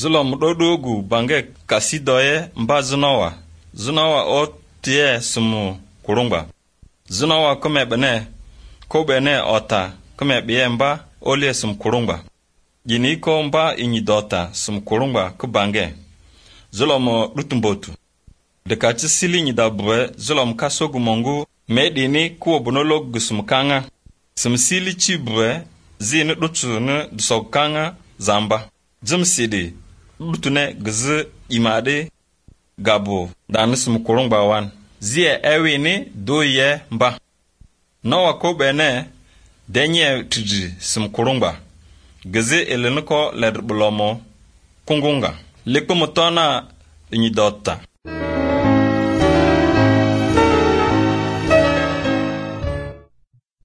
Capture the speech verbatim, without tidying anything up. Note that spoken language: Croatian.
Zulom dodogu bange kasidoye mba zunawa. Zunawa o tie sumu kurungba. Zunawa kome bene ko bene ota kome biye mba ole sum kurungba. Jini ko mba inyi dota sum kurungba ku bange. Zulom lutumbotu. Dekati sili nyi dabwe zulom kasogu mongu medini kuwa bonolog gusum kanga. Sum sili chibwe zini lutunu dusog kanga zamba. Zum sidi lutune gzi imade gabo dani sum kurungba wan. Zie ewi ni do ye mba. Nawa ko bene denye tiji sum kurungba. Gzi elenuko ledbulomo kungunga. Lipo mutona inyi dota.